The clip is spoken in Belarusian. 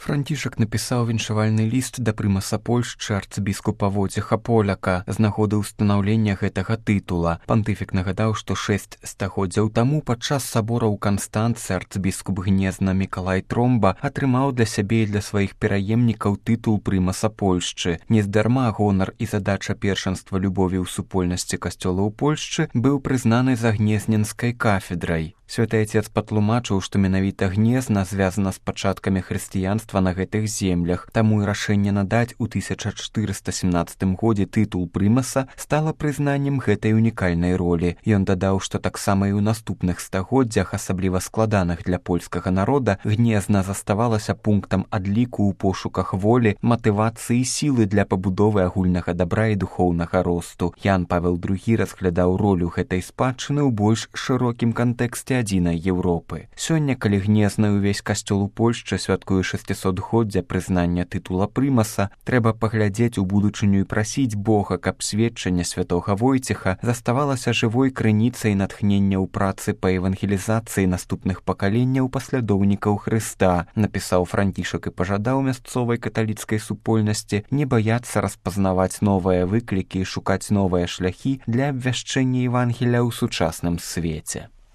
Францішак напісаў віншавальны ліст да прымаса Польшчы арцыбіскупа Войцеха Поляка з нагоды ўстанаўлення гэтага тытула. Пантыфік нагадаў, што 6 стагоддзяў таму падчас сабора ў Канстанцы арцыбіскуп Гнезна Мікалай Тромба атрымаў для сябе і для сваіх пераемнікаў тытул прымаса Польшчы. Нездарма гонар і задача першанства любові ў супольнасці касцёлаў Польшчы быў прызнаны за гнезненскай кафедрай. Святы Отец патлумачыў, што менавіта Гнезна звязана з пачаткамі хрысціянства на гэтых землях, таму і рашэнне надаць у 1417 годзе тытул прымаса стала прызнаннем гэтай унікальнай ролі. Ён дадаў, што таксама і ў наступных стагоддзях, асабліва складаных для польскага народа, Гнезна заставалася пунктам адліку ў пошуках волі, матывацыі і сілы для пабудовы агульнага дабра і духоўнага росту. Ян Павел II разглядаў ролю гэтай спадчыны ў больш шырокім кантэксце адзінай Еўропы. Сёння, калі Гнезна ўвесь касцёл у Польшчы святкуе 600годдзя прызнання тытула прымаса, трэба паглядзець у будучыню і прасіць Бога, каб сведчанне святога Войцеха заставалася жывой крыніцай натхнення ў працы па евангелізацыі наступных пакаленняў паслядоўнікаў Хрыста, напісаў Францішак і пажадаў мясцовай каталіцкай супольнасці не баяцца распазнаваць новыя выклікі і шукаць новыя шляхі для абвяшчэння Евангелія ў сучасным свеце.